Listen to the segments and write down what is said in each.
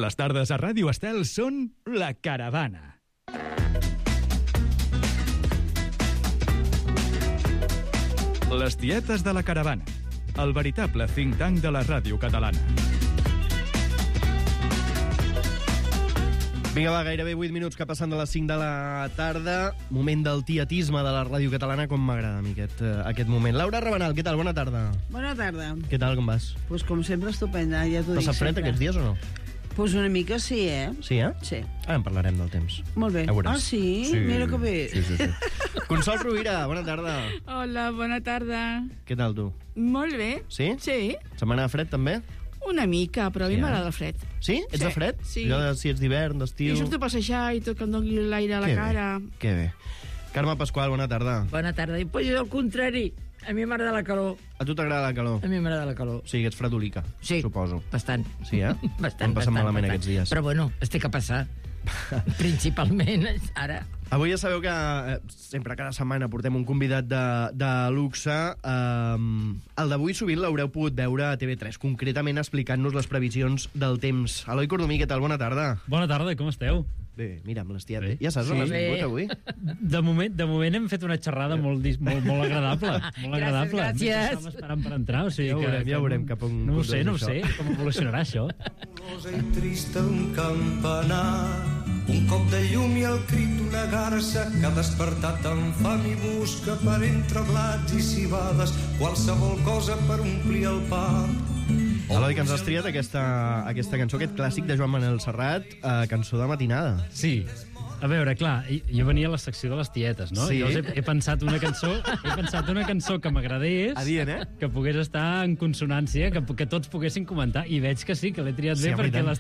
Les tardes a Ràdio Estel són La Caravana. Les tietes de La Caravana, el veritable think tank de la ràdio catalana. Vinga, va, gairebé 8 minuts que passen de les 5 de la tarda. Moment del tietisme de la ràdio catalana, com m'agrada a mi aquest moment. Laura Rabanal, què tal? Bona tarda. Bona tarda. Què tal, com vas? Pues com sempre, estupenda, ja t'ho dic Passa fred sempre. aquests dies o no? Pues una mica sí, eh? Sí, eh? Sí. Ara en parlarem del temps. Molt bé. Ja veuràs. Ah, sí? Mira que bé. Sí. Consol Rovira, bona tarda. Hola, bona tarda. Què tal, tu? Molt bé. Sí? Sí, Setmana de fred, també? una mica, però a mi Sí, m'agrada el fred. Sí? Ets Sí, de fred? sí. Jo si ets d'hivern, d'estiu... I surto a passejar i tot que em doni l'aire a la Que cara. bé, que bé. Carme Pasqual, bona tarda. Bona tarda. I pues jo al contrari. A mi m'agrada la calor. A tu t'agrada la calor? A mi m'agrada la calor. Sí, que ets fredolica, Sí. suposo. Bastant. Sí, eh? Bastant, Em passen malament aquests dies. Però bueno, es té que passar. Principalment ara. Avui ja sabeu que sempre cada setmana portem un convidat de luxe. El d'avui sovint l'haureu pogut veure a TV3, concretament explicant-nos les previsions del temps. Eloi Cordomí, què tal? Bona tarda. Bona tarda, com esteu? Bé, mira, amb les tietes. Bé. Ja saps on has Bé. vingut avui? De moment hem fet una xerrada molt agradable. Molt agradable. gràcies. Estàvem esperant per entrar, o sigui Ja veurem cap on No ho sé, condueix això. com evolucionarà això. Rosa i trista un campanar, un cop de llum i el crit d'una garça que ha despertat amb fam i busca per entre blats i cibades qualsevol cosa per omplir el pap. Eloi, que ens has triat aquesta cançó, aquest clàssic de Joan Manel Serrat, cançó de matinada. Sí. A veure, clar, jo venia a la secció de les tietes, no? Sí. Llavors he pensat una cançó que m'agradés, Adient, eh? que pogués estar en consonància, que tots poguessin comentar, i veig que sí, que l'he triat Sí, bé home, i perquè tant.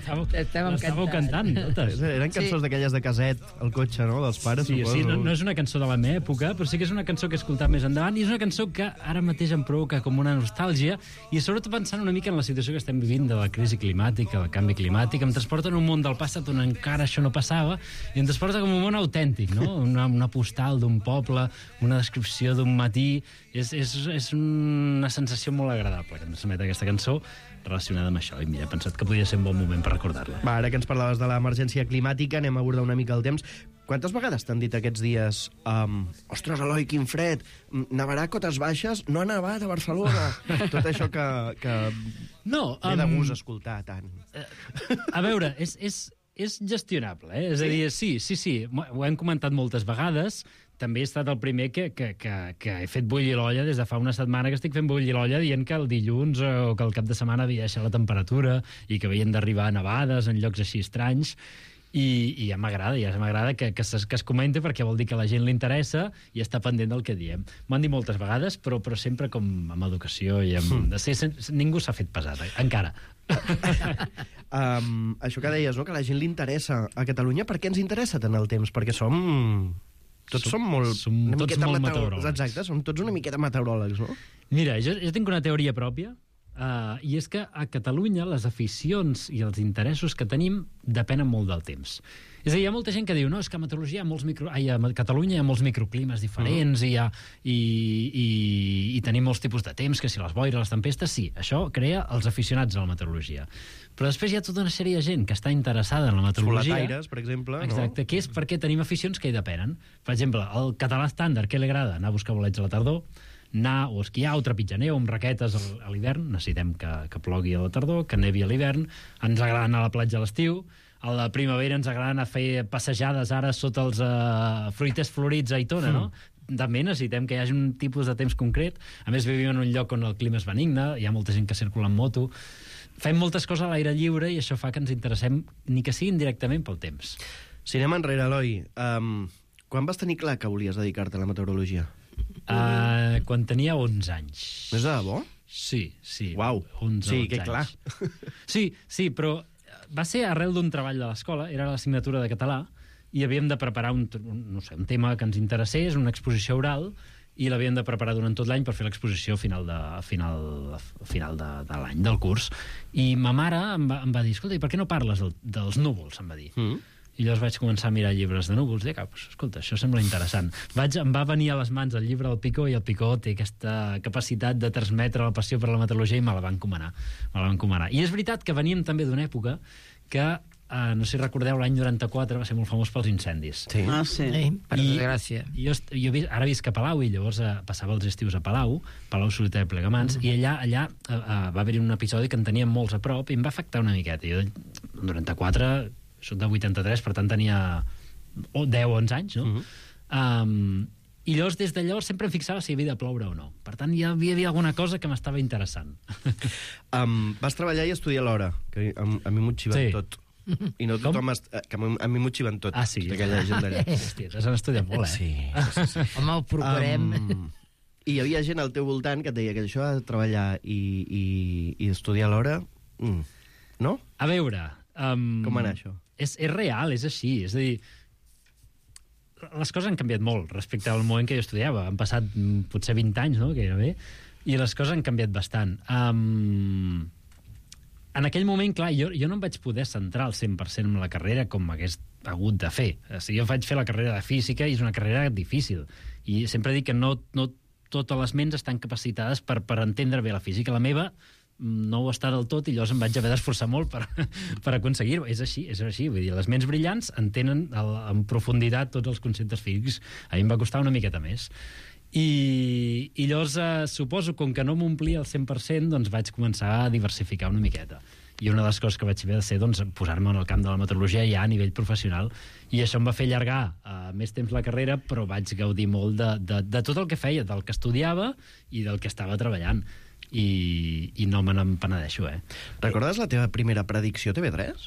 l'estàveu cantant totes. Eren cançons d'aquelles de caset, al cotxe, no?, dels pares, Sí, suposo. sí, no és una cançó de la meva època, però sí que és una cançó que he escoltat més endavant, i és una cançó que ara mateix em provoca com una nostàlgia, i sobretot pensant una mica en la situació que estem vivint de la crisi climàtica, del canvi climàtic, em transporta en un món del passat on encara això no passava, i em transporta com un món autèntic, no? Una postal d'un poble, una descripció d'un matí, és una sensació molt agradable que em transmet aquesta cançó relacionada amb això, i mira, he pensat que podia ser un bon moment per recordar-la. Va, ara que ens parlaves de l'emergència climàtica, anem a abordar una mica el temps. Quantes vegades t'han dit aquests dies ostres, Eloi, quin fred, nevarà a cotes baixes, no ha nevat a Barcelona? Tot això que No, ve de gust escoltar tant. A veure, és gestionable, eh? És a dir, sí, ho hem comentat moltes vegades. També he estat el primer que he fet bullir l'olla des de fa una setmana, que estic fent bullir l'olla dient que el dilluns o que el cap de setmana havia deixat la temperatura i que havien d'arribar nevades en llocs així estranys. I ja m'agrada que es comenti, perquè vol dir que a la gent li interessa i està pendent del que diem. M'ho han dit moltes vegades, però sempre com amb educació i amb... Ningú s'ha fet pesat, encara. Això que deies, no?, que a la gent li interessa a Catalunya. Per què ens interessa tant el temps? Perquè som molt... Som una tots miqueta molt meteoròlegs. Exacte, som tots una miqueta meteoròlegs, no? Mira, jo tinc una teoria pròpia, i és que a Catalunya les aficions i els interessos que tenim depenen molt del temps. És a dir, hi ha molta gent que diu és que a Catalunya hi ha molts microclimes diferents i tenim molts tipus de temps, que si les boires, les tempestes, sí, això crea els aficionats a la meteorologia. Però després hi ha tota una sèrie de gent que està interessada en la meteorologia. Solataires, per exemple, exacte, no? que és perquè tenim aficions que hi depenen. Per exemple, el català estàndard, què li agrada? Anar a buscar bolets a la tardor, anar o esquiar o trepitjar neu amb raquetes a l'hivern, necessitem que plogui a la tardor, que nevi a l'hivern, ens agrada anar a la platja a l'estiu, a la primavera ens agrada anar a fer passejades ara sota els fruiters florits a Aitona, no? També necessitem que hi hagi un tipus de temps concret. A més, vivim en un lloc on el clima és benigne, hi ha molta gent que circula en moto, fem moltes coses a l'aire lliure i això fa que ens interessem, ni que siguin directament pel temps. Si anem enrere, Eloi, quan vas tenir clar que volies dedicar-te a la meteorologia? Quan tenia 11 anys. És de debò? Sí. Uau, 11 sí, que anys. clar. Sí, però va ser arrel d'un treball de l'escola, era l'assignatura de català, i havíem de preparar un tema que ens interessés, una exposició oral, i l'havíem de preparar durant tot l'any per fer l'exposició final de l'any, del curs. I ma mare em va dir, escolta, i per què no parles dels núvols, em va dir. I llavors vaig començar a mirar llibres de núvols i dic, escolta, això sembla interessant. Em va venir a les mans el llibre del Picó, i el Picó té aquesta capacitat de transmetre la passió per la meteorologia, i me la van encomanar. I és veritat que veníem també d'una època que, no sé si recordeu, l'any 94 va ser molt famós pels incendis. Sí. Ah, sí. Per desgràcia. Ara visc a Palau, i llavors passava els estius a Palau Solità de Plegamans, i allà va haver-hi un episodi que en teníem molts a prop i em va afectar una miqueta. Jo, el 94, soc de 83, per tant tenia 10 o 11 anys, no? I llavors, des de llavors, sempre em fixava si havia de ploure o no. Per tant, hi havia alguna cosa que m'estava interessant. Vas treballar i estudiar alhora, que a mi m'ho xiven Sí. tot. I no tothom... que a mi m'ho xiven tot. Ah, sí? Aquella gent d'allà. Hòstia, t'has estudiat molt, Sí. Home, ho procurem. I hi havia gent al teu voltant que et deia que això de treballar i estudiar alhora... No? A veure... Com va anar això? És real, és així. És a dir, les coses han canviat molt respecte al moment que jo estudiava. Han passat potser 20 anys, no?, gairebé, i les coses han canviat bastant. En aquell moment, clar, jo no em vaig poder centrar al 100% en la carrera com m'hagués hagut de fer. O sigui, jo vaig fer la carrera de física i és una carrera difícil. I sempre dic que no totes les ments estan capacitades per entendre bé la física. La meva no ho està del tot i llavors em vaig haver d'esforçar molt per aconseguir-ho. És així. Vull dir, les ments brillants entenen en profunditat tots els conceptes físics. A mi em va costar una miqueta més. I llavors suposo, com que no m'omplia al 100%, doncs vaig començar a diversificar una miqueta. I una de les coses que vaig haver de ser, doncs, posar-me en el camp de la meteorologia ja a nivell professional, i això em va fer allargar més temps la carrera, però vaig gaudir molt de tot el que feia, del que estudiava i del que estava treballant. I no me n'empenedeixo, Recordes la teva primera predicció a TV3?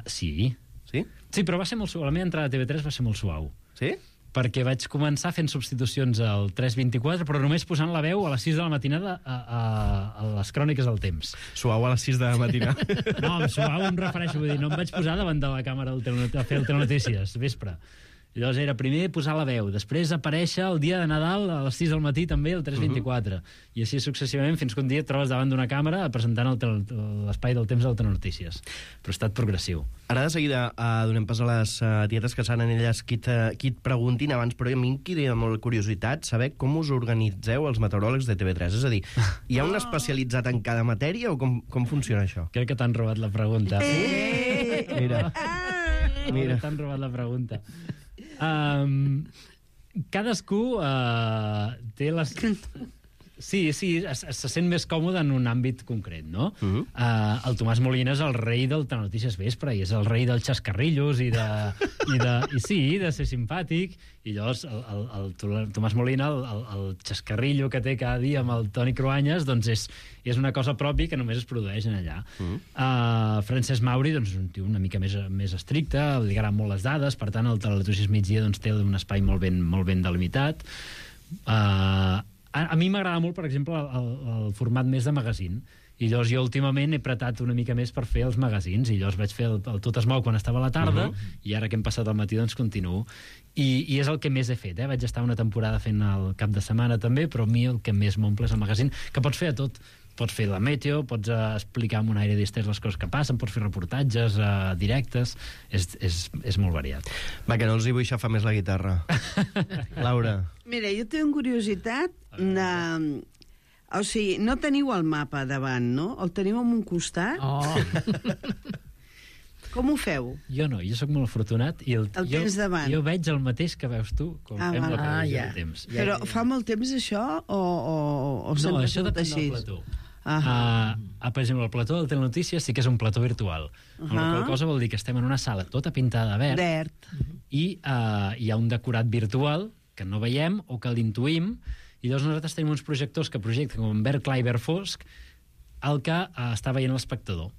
Sí. Sí? Sí, però va ser molt suau. La meva entrada a TV3 va ser molt suau. Sí? Perquè vaig començar fent substitucions al 3:24, però només posant la veu a les 6 de la matinada a les cròniques del temps. Suau a les 6 de la matina. No, amb suau em refereixo, vull dir, no em vaig posar davant de la càmera a fer el Telenotícies, vespre. Llavors era primer posar la veu, després aparèixer el dia de Nadal a les 6 del matí també, el 3:24, i així successivament fins que un dia et trobes davant d'una càmera presentant l'espai del temps del Telenotícies. Però ha estat progressiu. Ara de seguida donem pas a les tietes que seran elles qui et preguntin abans, però a mi em crida molt curiositat saber com us organitzeu els meteoròlegs de TV3. És a dir, hi ha un especialitzat en cada matèria o com funciona això? Crec que t'han robat la pregunta. Mira. Mira. T'han robat la pregunta. Cadascú té les... Sí, se sent més còmode en un àmbit concret, no? El Tomàs Molina és el rei del Telenotícies Vespre i és el rei dels xascarrillos i de ser simpàtic, i llavors el Tomàs Molina, el xascarrillo que té cada dia amb el Toni Cruanyes, doncs és una cosa pròpia que només es produeix en allà. Francesc Mauri, doncs, és un tio una mica més estricte, li agraden molt les dades, per tant el Telenotícies Migdia doncs, té un espai molt ben delimitat. A mi m'agrada molt, per exemple, el format més de magazine, i llavors jo últimament he apretat una mica més per fer els magazines, i llavors vaig fer el Tot es mou quan estava a la tarda, i ara que hem passat al matí doncs continuo. I és el que més he fet, Vaig estar una temporada fent el cap de setmana també, però a mi el que més m'omple és el magazine, que pots fer a tot. Pots fer la meteo, pots explicar amb un aire distès les coses que passen, pots fer reportatges directes, és molt variat. Va, que no els hi vull xafar més la guitarra. Laura. Mira, jo tinc curiositat de... O sigui, no teniu el mapa davant, no? El teniu en un costat? Com ho feu? Jo no, jo sóc molt afortunat i el tens davant. Jo veig el mateix que veus tu quan fem la previsió de temps. Però fa molt temps això o no, això depèn del plató. Per exemple, el plató del Telenotícies sí que és un plató virtual. La qual cosa vol dir que estem en una sala tota pintada de verd. I hi ha un decorat virtual que no veiem o que l'intuïm, i llavors nosaltres tenim uns projectors que projecten com en verd clar i verd fosc el que està veient l'espectador.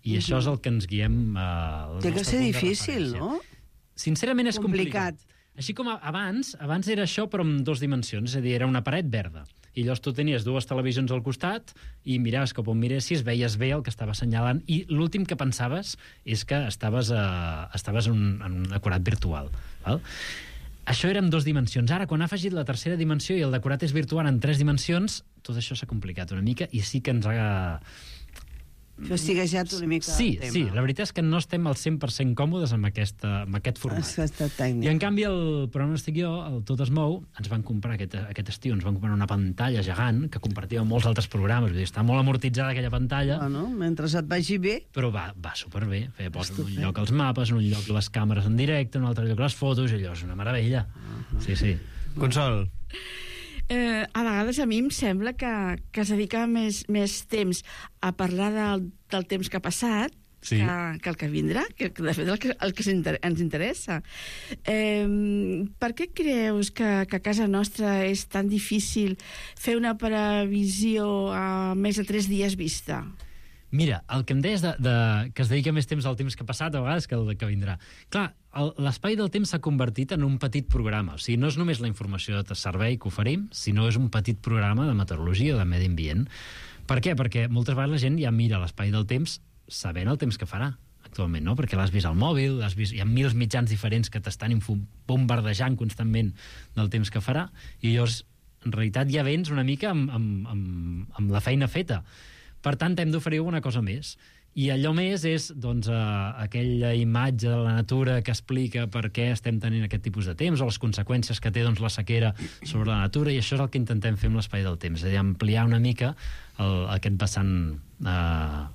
I això és el que ens guiem... Té que ser difícil, no? Sincerament és complicat. Així com abans era això però en 2 dimensions, és a dir, era una paret verda. I llavors tu tenies 2 televisions al costat i miraves cap on miressis, veies bé el que estava assenyalant, i l'últim que pensaves és que estaves en un decorat virtual. Val? Això era en 2 dimensions. Ara, quan ha afegit la tercera dimensió i el decorat és virtual en 3 dimensions, tot això s'ha complicat una mica i sí que ens ha... Fastiguejat una mica Sí, el tema. sí, la veritat és que no estem al 100% còmodes amb aquest format. Aquesta tècnica. I en canvi el programa on estic jo, el Tot es mou, ens van comprar aquest estiu, ens van comprar una pantalla gegant que compartia amb molts altres programes, vull dir, està molt amortitzada aquella pantalla, Bueno, mentre et vagi bé, però va superbé. Posa en un lloc els mapes, en un lloc les càmeres en directe, en un altre lloc les fotos, i allò és una meravella. Sí, sí. Consol. A vegades a mi em sembla que es dedica més temps a parlar del temps que ha passat Sí. que el que vindrà, que de fet el que ens interessa. Per què creus que a casa nostra és tan difícil fer una previsió a més de 3 dies vista? Mira, el que em deies que es dedica més temps al temps que ha passat, a vegades, que el que vindrà. Clar, l'espai del temps s'ha convertit en un petit programa. O sigui, no és només la informació de servei que oferim, sinó és un petit programa de meteorologia o de medi ambient. Per què? Perquè moltes vegades la gent ja mira l'espai del temps sabent el temps que farà actualment, no? Perquè l'has vist al mòbil, hi ha mils mitjans diferents que t'estan bombardejant constantment del temps que farà, i llavors, en realitat, ja vens una mica amb la feina feta. Per tant, hem d'oferir alguna cosa més. I allò més és doncs, aquella imatge de la natura que explica per què estem tenint aquest tipus de temps o les conseqüències que té doncs, la sequera sobre la natura, i això és el que intentem fer amb l'espai del temps, és a dir, ampliar una mica aquest vessant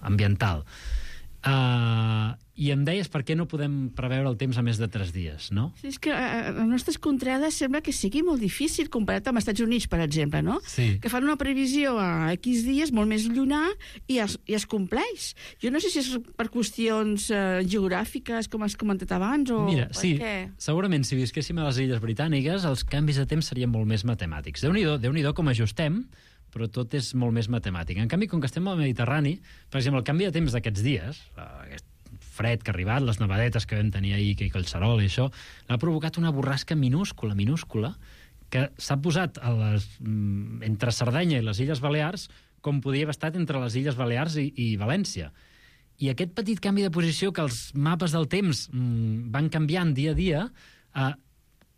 ambiental. I em deies per què no podem preveure el temps a més de 3 dies, no? Sí, és que a les nostres contrades sembla que sigui molt difícil comparat amb els Estats Units, per exemple, no? Sí. Que fan una previsió a X dies molt més llunyà i es compleix. Jo no sé si és per qüestions geogràfiques, com has comentat abans, o Mira, per sí, què? segurament si visquéssim a les Illes Britàniques els canvis de temps serien molt més matemàtics. Déu-n'hi-do com ajustem, però tot és molt més matemàtic. En canvi, com que estem al Mediterrani, per exemple, el canvi de temps d'aquests dies, aquest fred que ha arribat, les nevadetes que vam tenir ahir, que Collserola i això, ha provocat una borrasca minúscula, que s'ha posat entre Sardenya i les Illes Balears com podia haver estat entre les Illes Balears i València. I aquest petit canvi de posició que els mapes del temps van canviant dia a dia,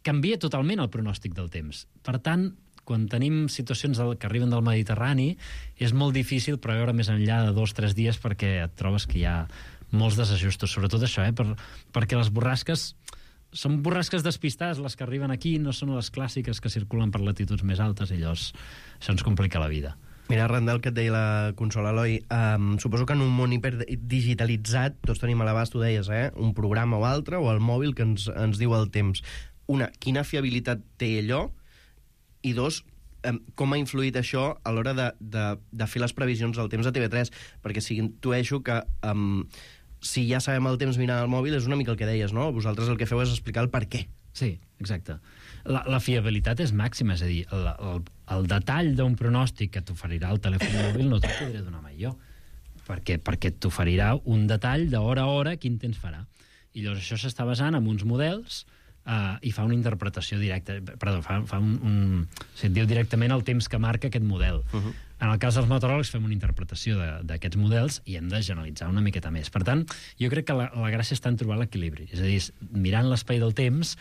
canvia totalment el pronòstic del temps. Per tant, quan tenim situacions que arriben del Mediterrani, és molt difícil preveure més enllà de 2 o 3 dies perquè et trobes que hi ha molts desajustos, sobretot això, perquè les borrasques són borrasques despistades, les que arriben aquí no són les clàssiques que circulen per latituds més altes, i llavors això ens complica la vida. Mira, arran del que et deia la Consol, Eloi, suposo que en un món hiperdigitalitzat tots tenim a l'abast, tu deies, un programa o altre, o el mòbil que ens diu el temps. Una, quina fiabilitat té allò? I 2, com ha influït això a l'hora de fer les previsions del temps a TV3? Perquè si intueixo que si ja sabem el temps mirant el mòbil és una mica el que deies, no? Vosaltres el que feu és explicar el per què. Sí, exacte. La fiabilitat és màxima, és a dir, el detall d'un pronòstic que t'oferirà el telèfon mòbil no t'ho podré donar mai jo, perquè t'oferirà un detall d'hora a hora quin temps farà. I llavors això s'està basant en uns models i fa una interpretació directa, se'n diu directament el temps que marca aquest model. En el cas dels meteoròlegs fem una interpretació d'aquests models i hem de generalitzar una miqueta més. Per tant, jo crec que la gràcia està en trobar l'equilibri. És a dir, mirant l'espai del temps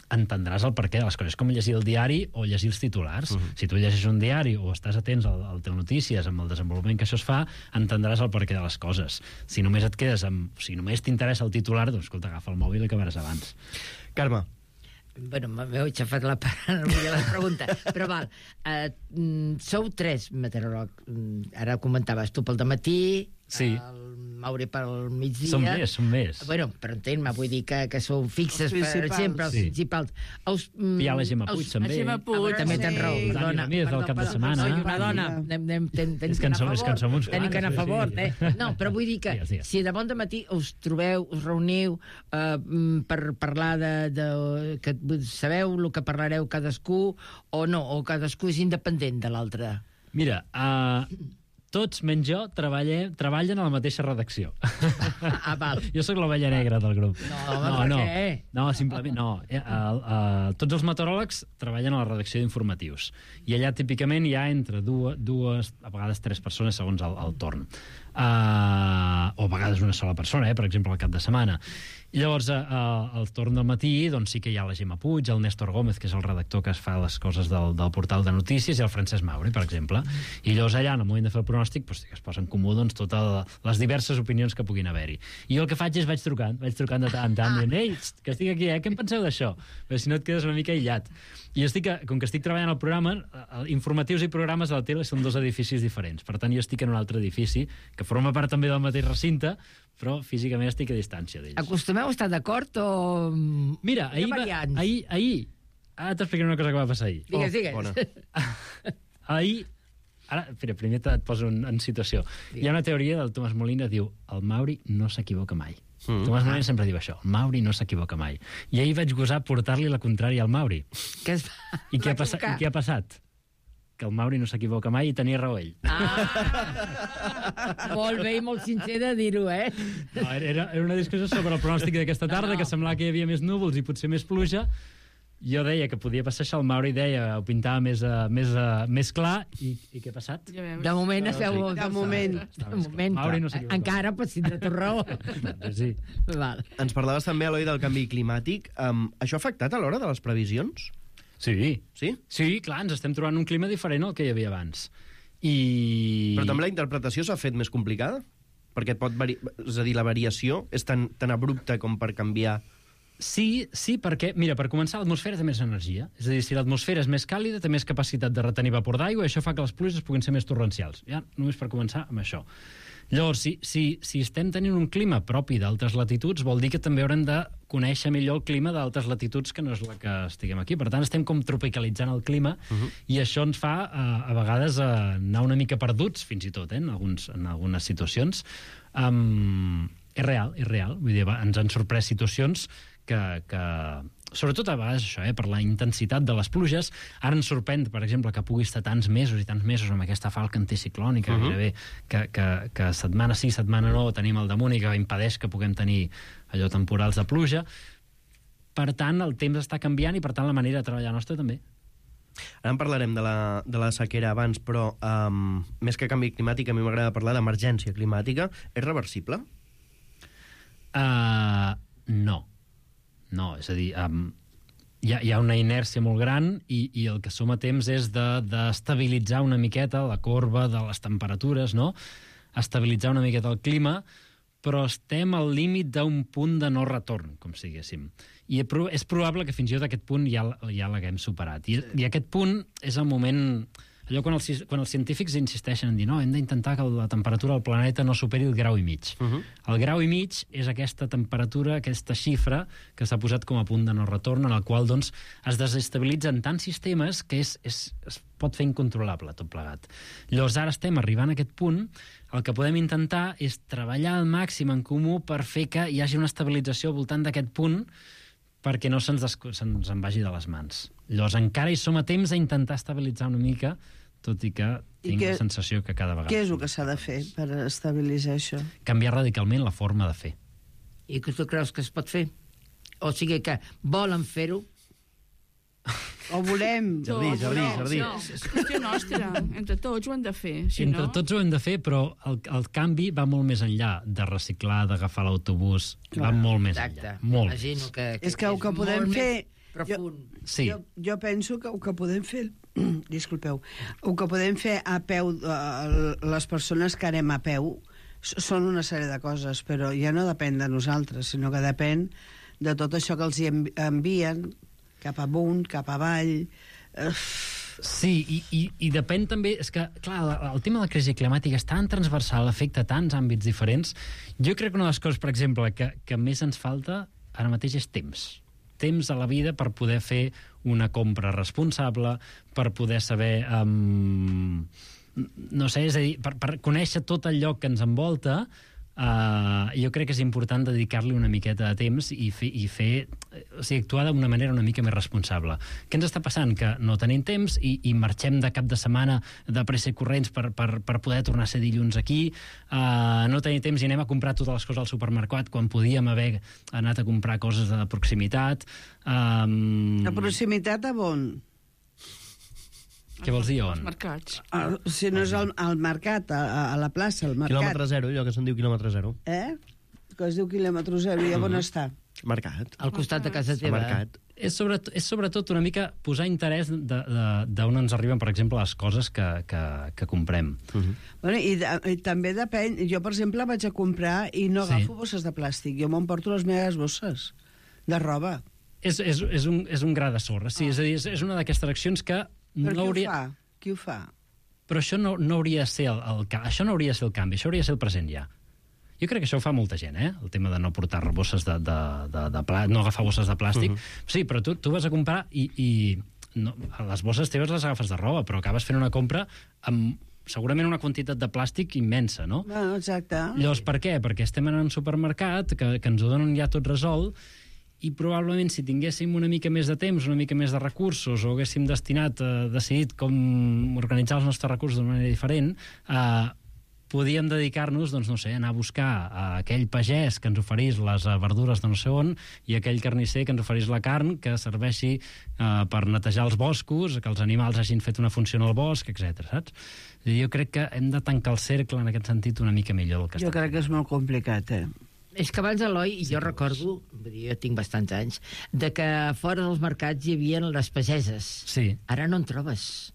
entendràs el perquè de les coses. És com llegir el diari o llegir els titulars. Si tu llegeixes un diari o estàs atents al Telenotícies amb el desenvolupament que això es fa, entendràs el perquè de les coses. Si només et quedes si només t'interessa el titular, doncs escolta, agafa el mòbil i acabaràs abans. Carme. Bueno, m'heu aixafat la pregunta, però val. Sou 3 meteoròlegs. Ara comentaves tu pel dematí, sí. El Mauri pel migdia... Som més. Bueno, però entén-me, vull dir que sou fixes, per exemple, els principals. Hi ha la Gemma Puig, també. La Gemma Puig, també tens raó. El Dani Ramírez del cap de setmana. Soy una dona. És que en som uns Tenim que anar a favor, No, però vull dir que si de bon dematí us trobeu, us reuniu per parlar que sabeu el que parlareu cadascú o no, o cadascú és independent de l'altre? Mira, tots, menys jo, treballen a la mateixa redacció. Val. Jo sóc l'ovella negra del grup. No, per què? No, simplement no. Tots els meteoròlegs treballen a la redacció d'informatius. I allà, típicament, hi ha entre dues, a vegades 3 persones, segons el torn. o a vegades una sola persona, per exemple, al cap de setmana. I llavors, al torn del matí, doncs sí que hi ha la Gemma Puig, el Néstor Gómez, que és el redactor que es fa les coses del portal de notícies, i el Francesc Mauri, per exemple. I llavors allà, en el moment de fer el pronòstic, doncs, es posa en comú totes les diverses opinions que puguin haver-hi. I jo el que faig és vaig trucant de tant en tant, dient, ei, que estic aquí, què en penseu d'això? Perquè si no et quedes una mica aïllat. I com que estic treballant al programa, informatius i programes a la tele són 2 edificis diferents. Per tant, jo estic en un altre edifici, que forma part també del mateix recinte, però físicament estic a distància d'ells. Acostumeu a estar d'acord o... Mira, ahir... Ara t'explicaré una cosa que va passar ahir. Digues. Ahir... Ara, primer et poso en situació. Hi ha una teoria del Tomàs Molina que diu el Mauri no s'equivoca mai. Tomàs Molina sempre diu això, el Mauri no s'equivoca mai. I ahir vaig gosar portar-li la contrària al Mauri. I què ha passat? Que el Mauri no s'equivoca mai i tenia raó ell. Molt bé i molt sincer de dir-ho, No, era una discussió sobre el pronòstic d'aquesta tarda, que semblava que hi havia més núvols i potser més pluja. Jo deia que podia passar això, el Mauri deia, ho pintava més clar, i què ha passat? De moment esteu... De moment. Mauri no s'equivoca. Encara pots tindre tu raó. Sí. Ens parlaves també, Eloi, del canvi climàtic. Això ha afectat a l'hora de les previsions? Sí. Sí? Sí, clar, ens estem trobant un clima diferent al que hi havia abans. Però també la interpretació s'ha fet més complicada? Perquè és a dir, la variació és tan abrupta com per canviar... Sí, perquè, mira, per començar, l'atmosfera té més energia. És a dir, si l'atmosfera és més càlida, té més capacitat de retenir vapor d'aigua, i això fa que les pluges puguin ser més torrencials. Ja, només per començar amb això. Llavors, si estem tenint un clima propi d'altres latituds, vol dir que també haurem de conèixer millor el clima d'altres latituds que no és la que estiguem aquí. Per tant, estem com tropicalitzant el clima, i això ens fa, a vegades, anar una mica perduts, fins i tot, en algunes situacions. És real. Vull dir, ens han sorprès situacions que sobretot a vegades això, per la intensitat de les pluges. Ara ens sorprèn, per exemple, que pugui estar tants mesos i tants mesos amb aquesta falca anticiclònica, gairebé, que setmana sí, setmana no, tenim al damunt i que impedeix que puguem tenir allò temporals de pluja. Per tant, el temps està canviant i, per tant, la manera de treballar nostra també. Ara en parlarem de la sequera abans, però més que canvi climàtic, a mi m'agrada parlar d'emergència climàtica. És reversible? No, és a dir, hi ha una inèrcia molt gran i el que som a temps és d'estabilitzar una miqueta la corba de les temperatures, no? Estabilitzar una miqueta el clima, però estem al límit d'un punt de no retorn, com si diguéssim. I és probable que fins i tot aquest punt ja l'haguem superat. I aquest punt és el moment... Allò quan els científics insisteixen en dir no, hem d'intentar que la temperatura del planeta no superi el 1,5 graus. El 1,5 graus és aquesta temperatura, aquesta xifra que s'ha posat com a punt de no retorn, en el qual doncs, es desestabilitzen tants sistemes que es pot fer incontrolable tot plegat. Llavors ara estem arribant a aquest punt, el que podem intentar és treballar al màxim en comú per fer que hi hagi una estabilització al voltant d'aquest punt perquè no se'ns en vagi de les mans. Llavors encara hi som a temps a intentar estabilitzar una mica, tot i que tinc la sensació que cada vegada... Què és el que s'ha de fer per estabilitzar això? Canviar radicalment la forma de fer. I que tu creus que es pot fer? O sigui que volen fer-ho? O volem? Jardí. No, és qüestió nostra. Entre tots ho hem de fer. Entre tots ho hem de fer, però el canvi va molt més enllà de reciclar, d'agafar l'autobús. Va molt més enllà. Molt. Imagino que és que el que podem fer... Sí. Jo penso que el que podem fer... Disculpeu. El que podem fer a peu, les persones que anem a peu, són una sèrie de coses, però ja no depèn de nosaltres, sinó que depèn de tot això que els envien cap amunt, cap avall... Sí, i depèn també... És que, clar, el tema de la crisi climàtica és tan transversal, afecta tants àmbits diferents. Jo crec que una de les coses, per exemple, que més ens falta ara mateix és temps. Temps a la vida per poder fer una compra responsable, per poder saber... no sé, és a dir, per conèixer tot el lloc que ens envolta, jo crec que és important dedicar-li una miqueta de temps i fer o sigui, actuar d'una manera una mica més responsable. Què ens està passant? Que no tenim temps i marxem de cap de setmana de pressa i corrents per poder tornar a ser dilluns aquí, no tenim temps i anem a comprar totes les coses al supermercat quan podíem haver anat a comprar coses de proximitat. La proximitat a on? Què vols dir, on? Els mercats. Si no és al mercat, a la plaça, al mercat. Quilòmetre zero, allò que se'n diu quilòmetre zero. Que es diu quilòmetre zero, i on està? Mercat. Al costat de casa Al teva. mercat. És sobretot una mica posar interès d'on ens arriben, per exemple, les coses que comprem. Bueno, i també depèn. Jo, per exemple, vaig a comprar i no agafo bosses de plàstic. Jo m'emporto les meves bosses de roba. És un gra de sorra, sí. És a dir, és una d'aquestes accions que... Però qui ho fa? Però això no hauria de ser això no hauria de ser el canvi, això hauria de ser el present ja. Jo crec que això ho fa molta gent, el tema de no portar bosses de plàstic, no agafar bosses de plàstic. Sí, però tu vas a comprar i les bosses teves les agafes de roba, però acabes fent una compra amb segurament una quantitat de plàstic immensa, no? Bueno, exacte. Llavors, per què? Perquè estem en un supermercat que ens ho donen ja tot resolt, i probablement si tinguéssim una mica més de temps, una mica més de recursos, o haguéssim decidit com organitzar els nostres recursos d'una manera diferent, podíem dedicar-nos, doncs, no sé, a anar a buscar aquell pagès que ens oferís les verdures de no sé on i aquell carnisser que ens oferís la carn que serveixi per netejar els boscos, que els animals hagin fet una funció en el bosc, etc. saps? Jo crec que hem de tancar el cercle en aquest sentit una mica millor. Jo crec que és molt complicat, És que abans, Eloi, jo recordo, jo tinc bastants anys, de que fora dels mercats hi havia les pageses. Sí. Ara no en trobes.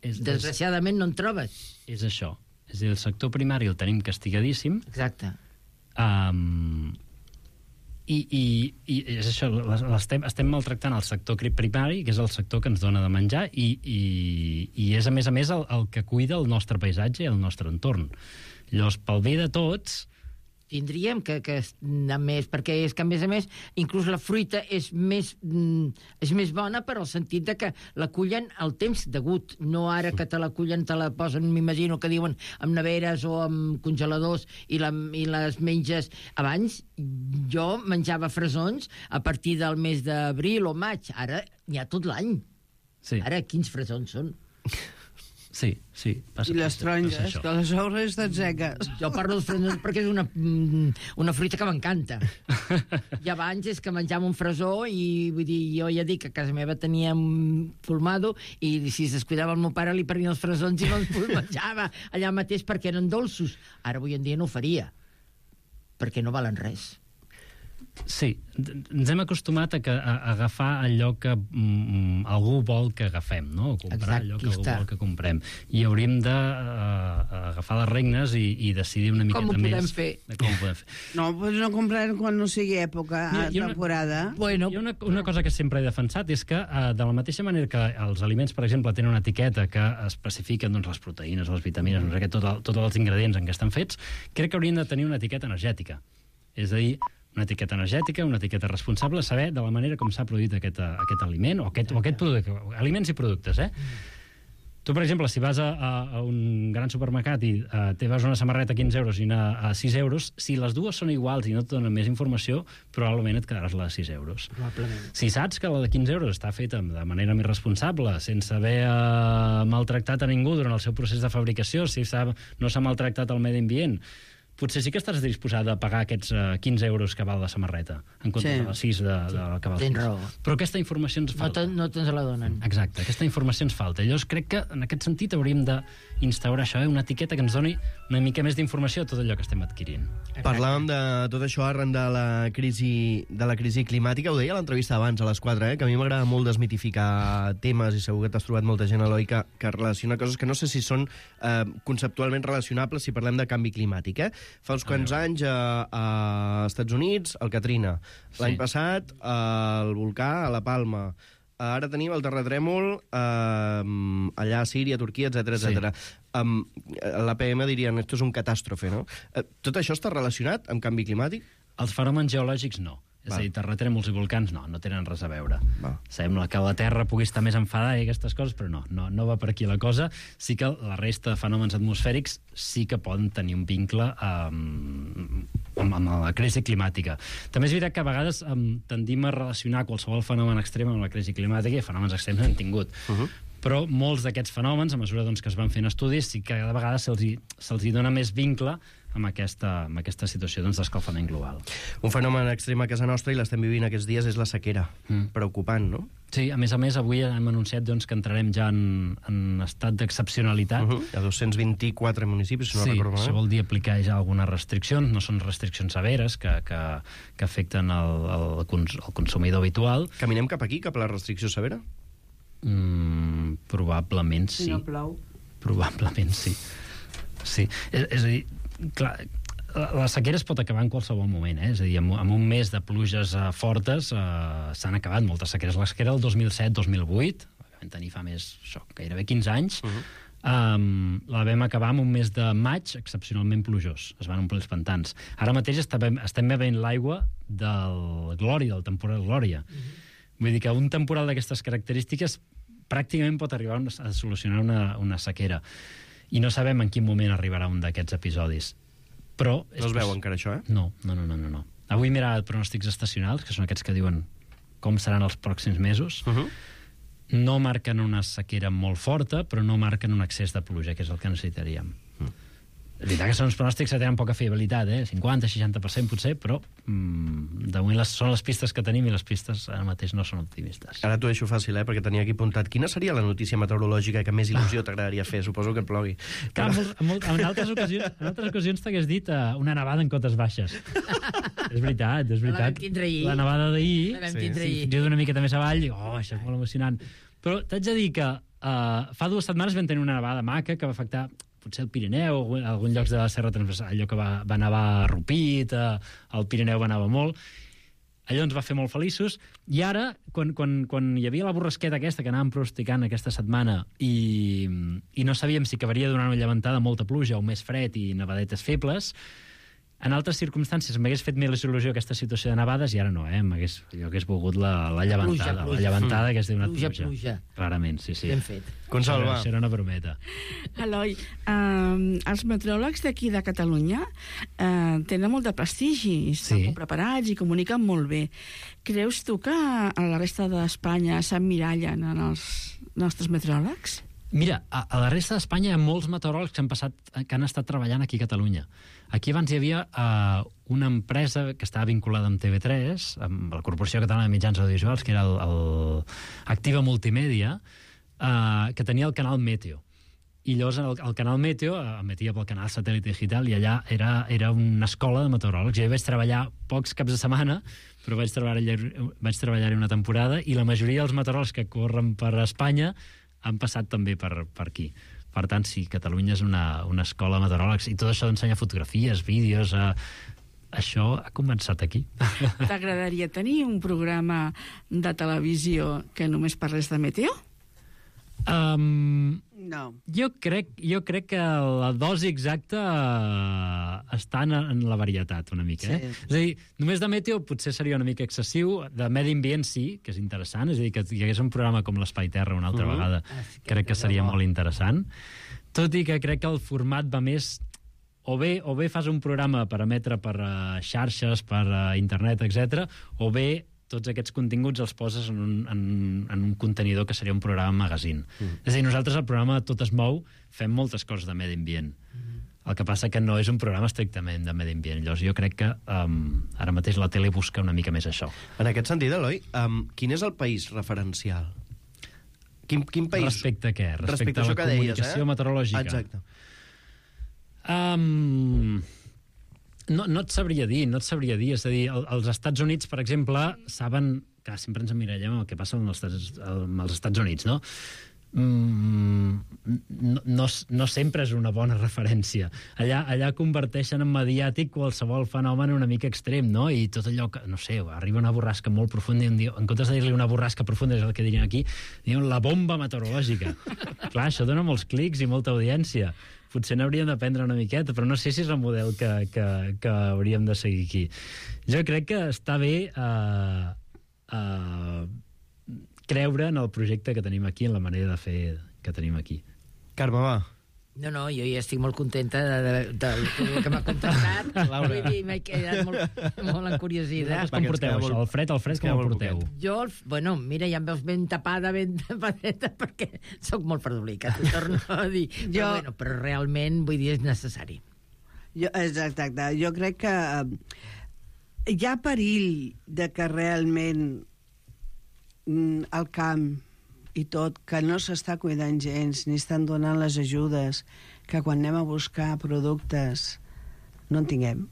Desgraciadament no en trobes. És això. És a dir, el sector primari el tenim castigadíssim. Exacte. I és això, estem maltractant el sector primari, que és el sector que ens dona de menjar, i és, a més, el que cuida el nostre paisatge i el nostre entorn. Llavors, pel bé de tots... Tindríem que anar més, perquè és que, a més, inclús la fruita és més bona per al sentit de que la cullen al temps degut, no ara que te la cullen, te la posen, m'imagino que diuen, amb neveres o amb congeladors i les menges. Abans jo menjava fresons a partir del mes d'abril o maig, ara n'hi ha tot l'any. Sí. Ara quins fresons són? Sí. I les taronges, que les obres estan seques. Jo parlo dels fresons perquè és una fruita que m'encanta. I abans és que menjàvem un fresó i vull dir, jo ja dic que a casa meva teníem fulmado i si es descuidava el meu pare li prenia els fresons i me'ls menjava allà mateix perquè eren dolços. Ara avui en dia no ho faria, perquè no valen res. Sí, ens hem acostumat a agafar allò que algú vol que agafem, no? O comprar allò que algú vol que comprem. I hauríem d'agafar les regnes i decidir una miqueta més... Com ho podem fer? Com ho podem fer. No, doncs no comprarem quan no sigui època, temporada. Bueno, hi ha una cosa que sempre he defensat, és que de la mateixa manera que els aliments, per exemple, tenen una etiqueta que especifiquen les proteïnes, les vitamines, no sé què, tots els ingredients en què estan fets, crec que haurien de tenir una etiqueta energètica. És a dir, una etiqueta energètica, una etiqueta responsable, saber de la manera com s'ha produït aquest aliment o aquest producte, aliments i productes, Tu, per exemple, si vas a un gran supermercat i te vas una samarreta a 15 euros i una a 6 euros, si les dues són iguals i no et donen més informació, probablement et quedaràs la de 6 euros. Probablement. Si saps que la de 15 euros està feta de manera més responsable, sense haver maltractat a ningú durant el seu procés de fabricació, si no s'ha maltractat el medi ambient, potser sí que estàs disposat a pagar aquests 15 euros que val la samarreta, en comptes de les 6 que val 6. Però aquesta informació ens falta. No te'ns la donen. Exacte, aquesta informació ens falta. Llavors crec que en aquest sentit hauríem d'instaurar això, una etiqueta que ens doni una mica més d'informació de tot allò que estem adquirint. Exacte. Parlàvem de tot això arran de la crisi climàtica, ho deia a l'entrevista abans, a les 4, que a mi m'agrada molt desmitificar temes, i segur que t'has trobat molta gent, Eloi, que relaciona coses que no sé si són conceptualment relacionables si parlem de canvi climàtic, Fa uns quants anys a Estats Units, el Katrina. L'any passat, el volcà a La Palma. Ara tenim el terratrèmol allà a Síria, Turquia, etc. L'APM dirien, esto és un catàstrofe, no? Tot això està relacionat amb canvi climàtic? Els fenòmens geològics no. És a dir, terratrèmols i volcans no tenen res a veure. Sembla que la Terra pugui estar més enfadada i aquestes coses, però no va per aquí la cosa. Sí que la resta de fenòmens atmosfèrics sí que poden tenir un vincle amb la crisi climàtica. També és veritat que a vegades tendim a relacionar qualsevol fenomen extrem amb la crisi climàtica, i fenòmens extrems n'hem tingut. Però molts d'aquests fenòmens, a mesura que es van fent estudis, sí que cada vegada se'ls dona més vincle amb aquesta situació d'escalfament global. Un fenomen extrem a casa nostra, i l'estem vivint aquests dies, és la sequera. Preocupant, no? Sí, a més, avui hem anunciat doncs, que entrarem ja en estat d'excepcionalitat. Hi ha 224 municipis, si no recordo malament. Això vol dir aplicar ja algunes restriccions, no són restriccions severes que afecten el consumidor habitual. Caminem cap aquí, cap a la restricció severa? Probablement sí. Si no plou. Probablement sí. Sí, és a dir, clar, la sequera es pot acabar en qualsevol moment, és a dir, amb un mes de pluges fortes s'han acabat moltes sequeres. La sequera del 2007-2008, vam tenir fa gairebé 15 anys, la vam acabar amb un mes de maig excepcionalment plujós. Es van omplir els pantans. Ara mateix estem bevent l'aigua del Glòria, del temporal Glòria. Vull dir que un temporal d'aquestes característiques pràcticament pot arribar a solucionar una sequera. I no sabem en quin moment arribarà un d'aquests episodis. Però no es veu encara això, No. Avui he mirat pronòstics estacionals, que són aquests que diuen com seran els pròxims mesos. No marquen una sequera molt forta, però no marquen un excés de pluja, que és el que necessitaríem. És veritat que són uns pronòstics que tenen poca fiabilitat, 50-60% potser, però de moment són les pistes que tenim i les pistes ara mateix no són optimistes. Ara t'ho deixo fàcil, perquè tenia aquí apuntat. Quina seria la notícia meteorològica que més il·lusió t'agradaria fer? Suposo que et plogui. Clar, en altres ocasions t'hagués dit una nevada en cotes baixes. És veritat. La vam tindre ahir. La nevada d'ahir. La vam tindre ahir. Jo d'una miqueta més avall, dic, això és molt emocionant. Però t'haig de dir que fa 2 setmanes vam tenir una nevada maca que va afectar potser el Pirineu, alguns llocs de la Serra Transversal, allò que va nevar a Rupit, al Pirineu va nevar molt. Allò ens va fer molt feliços. I ara, quan hi havia la borrasqueta aquesta que anàvem pronosticant aquesta setmana i no sabíem si acabaria donant una llevantada, molta pluja o més fred i nevadetes febles, en altres circumstàncies m'hagués fet més il·lusió aquesta situació de nevades i ara no, jo hagués volgut la llevantada. La llevantada que es diu una pluja. Clarament, sí. Ben fet. Consalva. Això era una brometa. Eloi, els meteoròlegs d'aquí de Catalunya tenen molt de prestigi, estan molt preparats i comuniquen molt bé. Creus tu que a la resta d'Espanya s'emmirallen en els nostres meteoròlegs? Mira, a la resta d'Espanya hi ha molts meteoròlegs que han estat treballant aquí a Catalunya. Aquí abans hi havia una empresa que estava vinculada amb TV3, amb la Corporació Catalana de Mitjans Audiovisuals, que era el Activa Multimèdia, que tenia el canal Meteo. I llavors el canal Meteo emetia pel canal Satèl·lit Digital i allà era una escola de meteoròlegs. Jo hi vaig treballar pocs caps de setmana, però vaig treballar-hi una temporada i la majoria dels meteoròlegs que corren per Espanya han passat també per aquí. Per tant, sí, Catalunya és una escola de meteoròlegs i tot això d'ensenyar fotografies, vídeos... Això ha començat aquí. T'agradaria tenir un programa de televisió que només parlés de meteo? No. Jo crec que la dosi exacta està en la varietat, una mica. És a dir, només de meteo potser seria una mica excessiu, de medi ambient sí, que és interessant, és a dir, que hi hagués un programa com l'Espai Terra una altra vegada, crec que seria molt interessant, tot i que crec que el format va més... O bé fas un programa per emetre per xarxes, per internet, etc. O bé tots aquests continguts els poses en un contenidor que seria un programa magazine. És a dir, nosaltres al programa Tot es mou fem moltes coses de medi ambient. El que passa que no és un programa estrictament de medi ambient. Llavors jo crec que ara mateix la tele busca una mica més això. En aquest sentit, Eloi, quin és el país referencial? Quin país... Respecte a què? Respecte a la això que deies, comunicació meteorològica. Exacte. No et sabria dir. És a dir, els Estats Units, per exemple, saben que sempre ens emmirallem el que passa amb els Estats Units, no? No sempre és una bona referència. Allà converteixen en mediàtic qualsevol fenomen una mica extrem, no? I tot allò que, no sé, arriba una borrasca molt profunda i en comptes de dir-li una borrasca profunda, és el que dirien aquí, diuen la bomba meteorològica. Clar, això dona molts clics i molta audiència. Potser n'hauríem d'aprendre una miqueta, però no sé si és el model que hauríem de seguir aquí. Jo crec que està bé creure en el projecte que tenim aquí, en la manera de fer que tenim aquí. Carme, va. No, jo ja estic molt contenta del que m'ha contestat. Vull dir, m'he quedat molt encuriosida. Com porteu això? El fred com el porteu? Jo, mira, ja em veus ben tapadeta, perquè sóc molt fredolica, t'ho torno a dir. Però realment, vull dir, és necessari. Exacte. Jo crec que hi ha perill de que realment al camp i tot, que no s'està cuidant gens, ni estan donant les ajudes, que quan anem a buscar productes no en tinguem.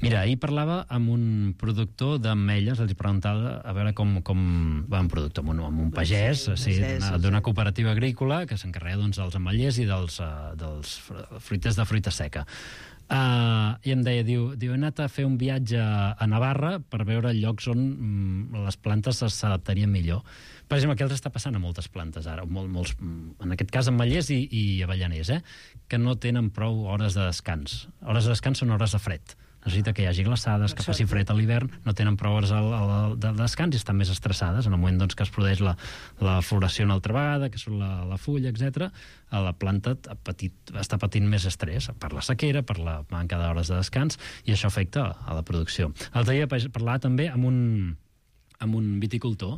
Mira, ahir parlava amb un productor d'ametlles, els preguntava a veure com va un productor, amb un pagès, d'una cooperativa agrícola que s'encarrega dels ametllers i dels fruiters de fruita seca. I em deia, diu, he anat a fer un viatge a Navarra per veure llocs on les plantes s'adaptarien millor. Per exemple, què els està passant a moltes plantes ara? Molts, en aquest cas, ametllers i avellaners, que no tenen prou hores de descans. Hores de descans són hores de fred. Necessita que hi hagi glaçades, que faci fred a l'hivern, no tenen prou hores de descans i estan més estressades. En el moment que es produeix la floració una altra vegada, que surt la fulla, etc., la planta està patint més estrès per la sequera, per la manca d'hores de descans, i això afecta a la producció. L'altre dia parlava també amb un viticultor,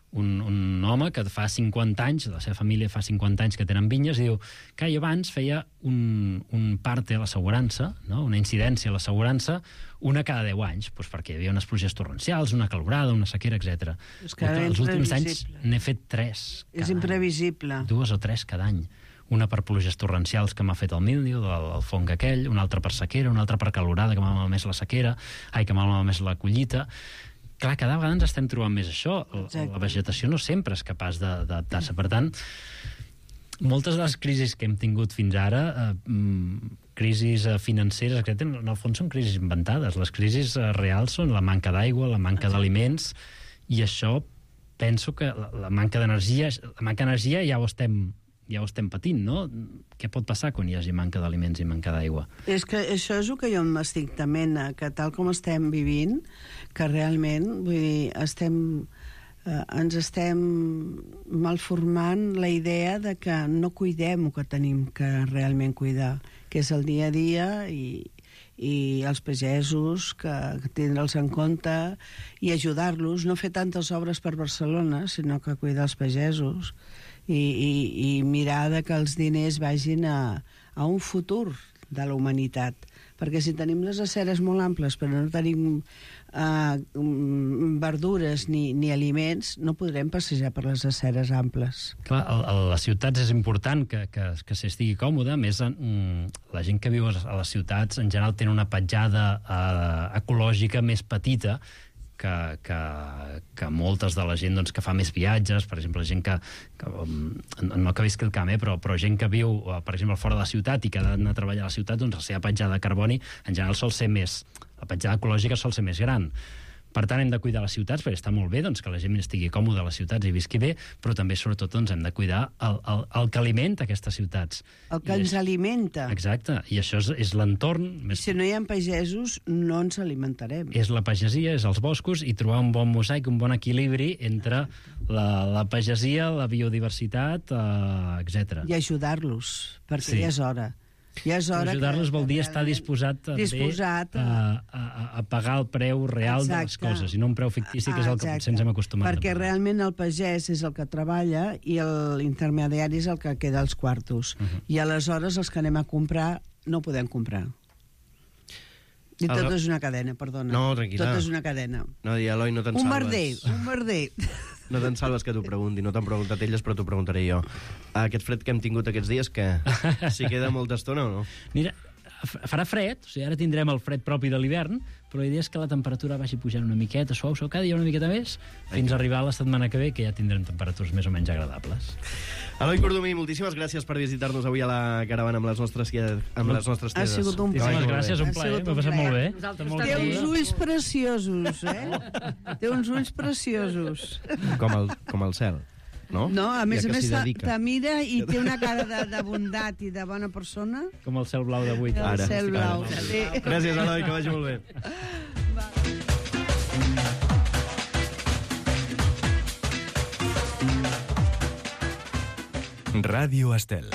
un home que fa 50 anys, la seva família fa 50 anys que tenen vinyes, i diu que abans feia un parte a l'assegurança, no? Una incidència a l'assegurança, una cada 10 anys, doncs perquè hi havia unes pluges torrencials, una calorada, una sequera, etc. Els últims anys n'he fet 3. És imprevisible. 2 o 3 cada any. Una per pluges torrencials que m'ha fet el míldiu, el fong aquell, una altra per sequera, una altra per calorada que m'ha malmès la sequera, que m'ha malmès la collita. Clar, cada vegada ens estem trobant més això. La vegetació no sempre és capaç d'adaptar-se. Per tant, moltes de les crisis que hem tingut fins ara, crisis financeres, en el fons són crisis inventades. Les crisis reals són la manca d'aigua, la manca d'aliments, i això penso que la manca d'energia ja ho estem patint, no? Què pot passar quan hi hagi manca d'aliments i manca d'aigua? És que això és el que jo m'estic tement, que tal com estem vivint, que realment, vull dir, ens estem malformant la idea de que no cuidem el que tenim que realment cuidar, que és el dia a dia i els pagesos, que tindre'ls en compte i ajudar-los, no fer tantes obres per Barcelona, sinó que cuidar els pagesos i mirar que els diners vagin a un futur de la humanitat. Perquè si tenim les aceres molt amples però no tenim verdures ni aliments, no podrem passejar per les aceres amples. Clar, a les ciutats és important que s'estigui còmode. A més, la gent que viu a les ciutats en general té una petjada ecològica més petita que moltes de la gent que fa més viatges, per exemple, gent que no que visqui al camp, però gent que viu, per exemple, fora de la ciutat i que ha d'anar a treballar a la ciutat, doncs la seva petjada de carboni en general sol ser més... La petjada ecològica sol ser més gran. Per tant, hem de cuidar les ciutats, perquè està molt bé que la gent estigui còmoda a les ciutats i visqui bé, però també, sobretot, hem de cuidar el que alimenta aquestes ciutats. El que ens alimenta. Exacte, i això és l'entorn... Si no hi ha pagesos, no ens alimentarem. És la pagesia, és els boscos, i trobar un bon mosaic, un bon equilibri entre la pagesia, la biodiversitat, etc. I ajudar-los, perquè ja és hora. Ajudar-los vol dir estar disposat a pagar el preu real de les coses, i no un preu fictici, que és el que potser ens hem acostumat. Perquè realment el pagès és el que treballa i l'intermediari és el que queda als quartos. I aleshores els que anem a comprar no podem comprar. I tot és una cadena, perdona. No, tranquil·la. Tot és una cadena. No, Eloi, no te'n salves. Un merder. No te'n salves que t'ho pregunti. No t'han preguntat elles, però t'ho preguntaré jo. Aquest fred que hem tingut aquests dies, que s'hi queda molta estona o no? Mira, farà fred, o sigui, ara tindrem el fred propi de l'hivern, però la idea és que la temperatura vagi pujant una miqueta, suau, cada dia una miqueta més, fins a arribar a la setmana que ve, que ja tindrem temperatures més o menys agradables. Eloi Cordomí, moltíssimes gràcies per visitar-nos avui a la caravana amb les nostres tedes. Ha sigut un plaer. Gràcies, un plaer, m'ha passat molt bé. Té uns ulls preciosos, Té uns ulls preciosos. Com el cel. No, a més te mira i té una cara de bondat i de bona persona. Com el cel blau d'avui. El cel blau. Gràcies, Eloi, que vagi molt bé. Ràdio Estel.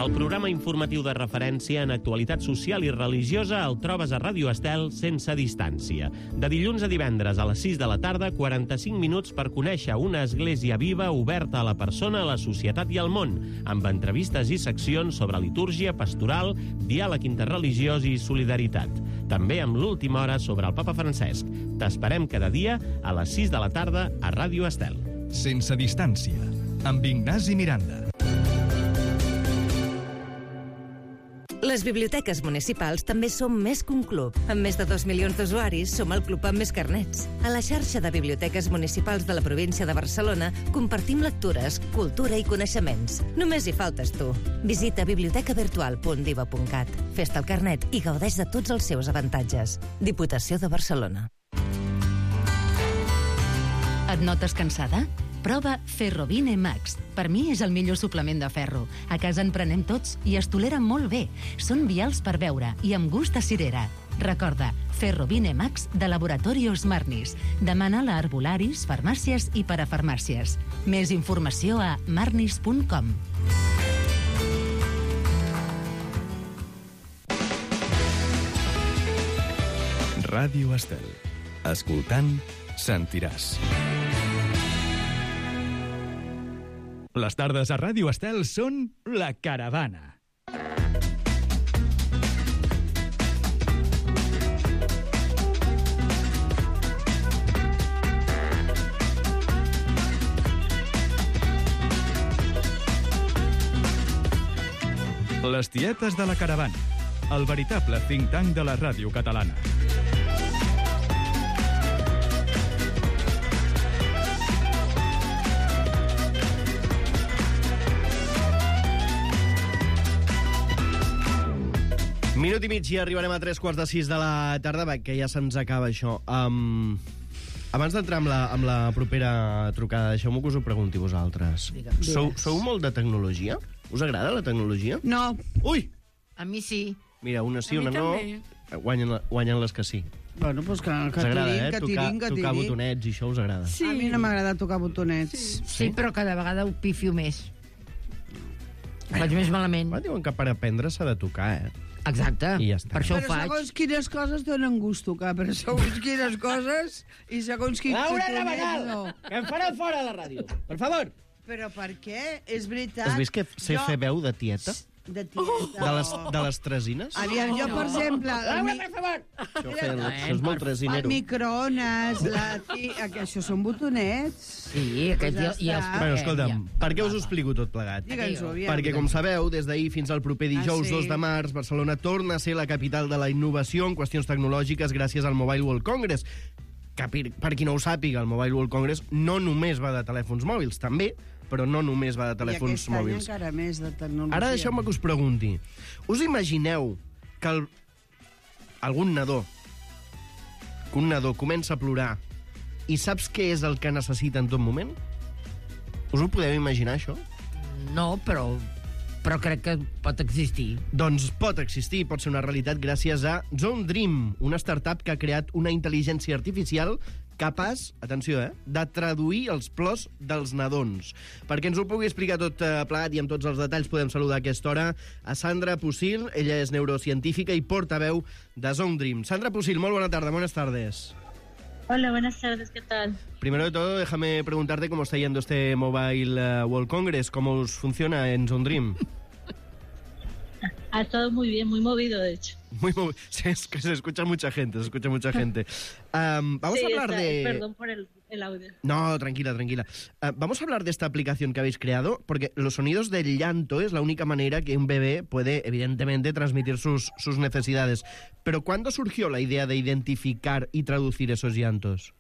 El programa informatiu de referència en actualitat social i religiosa el trobes a Ràdio Estel sense distància. De dilluns a divendres a les 6 de la tarda, 45 minuts per conèixer una església viva oberta a la persona, a la societat i al món, amb entrevistes i seccions sobre litúrgia, pastoral, diàleg interreligiós i solidaritat. També amb l'última hora sobre el Papa Francesc. T'esperem cada dia a les 6 de la tarda a Ràdio Estel. Sense distància, amb Ignasi Miranda. Les biblioteques municipals també som més que un club. Amb més de 2 milions d'usuaris, som el club amb més carnets. A la xarxa de biblioteques municipals de la província de Barcelona compartim lectures, cultura i coneixements. Només hi faltes tu. Visita bibliotecavirtual.diva.cat. Fes-te el carnet i gaudeix de tots els seus avantatges. Diputació de Barcelona. Et notes cansada? Prova Ferrovine Max. Per mi és el millor suplement de ferro. A casa en prenem tots i es tolera molt bé. Són vials per beure i amb gust a cirera. Recorda, Ferrovine Max de Laboratorios Marnis. Demana-la a arbolaris, farmàcies i parafarmàcies. Més informació a marnis.com. Ràdio Estel. Escoltant, sentiràs. Les tardes a Ràdio Estel són La Caravana. Les tietes de la Caravana. El veritable think tank de la ràdio catalana. Minut i mig i arribarem a 3:45 de la tarda, que ja se'ns acaba això. Abans d'entrar amb la propera trucada, deixeu-me que us ho pregunti vosaltres. Sou molt de tecnologia? Us agrada la tecnologia? No. Ui! A mi sí. Mira, una sí, A mi una no. també. Guanyen les que sí. Bueno, doncs que Us agrada, tirin. Tocar botonets i això us agrada. Sí. A mi no m'agrada tocar botonets. Sí, però cada vegada ho pifio més. Ho faig més malament. Diuen que per aprendre s'ha de tocar, Exacte, I ja està. per això ho Però faig. segons quines coses donen gust tocar, però segons quines coses i segons quins botonets no. Que em fareu fora de la ràdio, per favor. Però per què? És veritat. Has vist que sé fer veu de tieta? De tieta. De les tresines? Aviam, jo, per exemple... Per favor! Això és molt El tresinero. microones, això són botonets. Sí, aquest i els... Bueno, escolta'm, per què us ho explico tot plegat? Digue'ns-ho, aviam. Perquè, com sabeu, des d'ahir fins al proper dijous 2 de març, Barcelona torna a ser la capital de la innovació en qüestions tecnològiques gràcies al Mobile World Congress. Que, per qui no ho sàpiga, el Mobile World Congress no només va de telèfons mòbils, també, però no només va de telèfons mòbils. I aquest any encara més de tecnologia. Ara deixeu-me que us pregunti. Us imagineu que un nadó comença a plorar i saps què és el que necessita en tot moment? Us ho podeu imaginar, això? No, però crec que pot existir. Doncs pot existir, pot ser una realitat gràcies a Zone Dream, una startup que ha creat una intel·ligència artificial capaç, atenció, de traduir els plors dels nadons. Perquè ens ho pugui explicar tot plegat i amb tots els detalls podem saludar a aquesta hora a Sandra Pusil. Ella és neurocientífica i portaveu de Zone Dream. Sandra Pusil, molt bona tarda, buenas tardes. Hola, buenas tardes, ¿qué tal? Primero de todo, déjame preguntarte cómo está yendo este Mobile World Congress, cómo os funciona en Zone Dream. Ha estado muy bien, muy movido, de hecho. Muy movido. Es que se escucha mucha gente, vamos a hablar de... Perdón por el audio. No, tranquila. Vamos a hablar de esta aplicación que habéis creado, porque los sonidos del llanto es la única manera que un bebé puede, evidentemente, transmitir sus necesidades. Pero ¿cuándo surgió la idea de identificar y traducir esos llantos?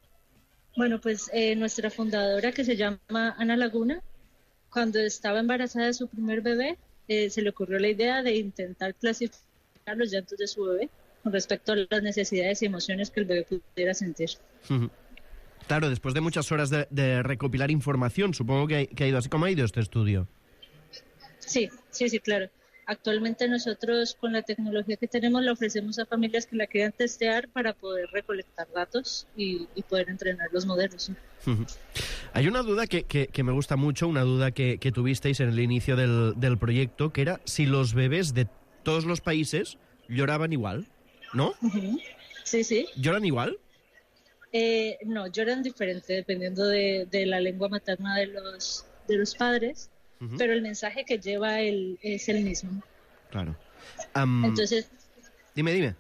Bueno, pues nuestra fundadora, que se llama Ana Laguna, cuando estaba embarazada de su primer bebé, se le ocurrió la idea de intentar clasificar los llantos de su bebé con respecto a las necesidades y emociones que el bebé pudiera sentir. Claro, después de muchas horas de recopilar información, supongo que ha ido así. ¿Cómo ha ido este estudio? Sí, claro. Actualmente nosotros con la tecnología que tenemos la ofrecemos a familias que la quieran testear para poder recolectar datos y poder entrenar los modelos. Hay una duda que me gusta mucho, una duda que tuvisteis en el inicio del proyecto, que era si los bebés de todos los países lloraban igual, ¿no? Sí, sí. ¿Lloran igual? No, lloran diferente dependiendo de la lengua materna de los padres. Pero el mensaje que lleva es el mismo. Claro. Entonces... Dime.